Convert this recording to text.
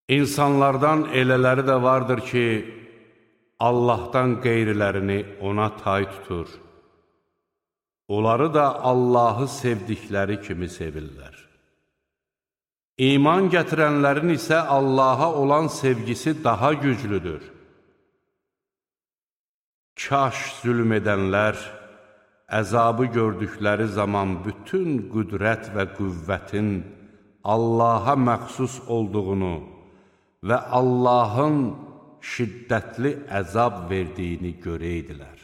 İnsanlardan elələri də vardır ki, Allahdan qeyrilərini ona tay tutur. Onları da Allahı sevdikləri kimi sevirlər. İman gətirənlərin isə Allaha olan sevgisi daha güclüdür. Kaş zülm edənlər, əzabı gördükləri zaman bütün qüdrət və qüvvətin Allaha məxsus olduğunu və Allahın şiddətli əzab verdiyini görəydilər.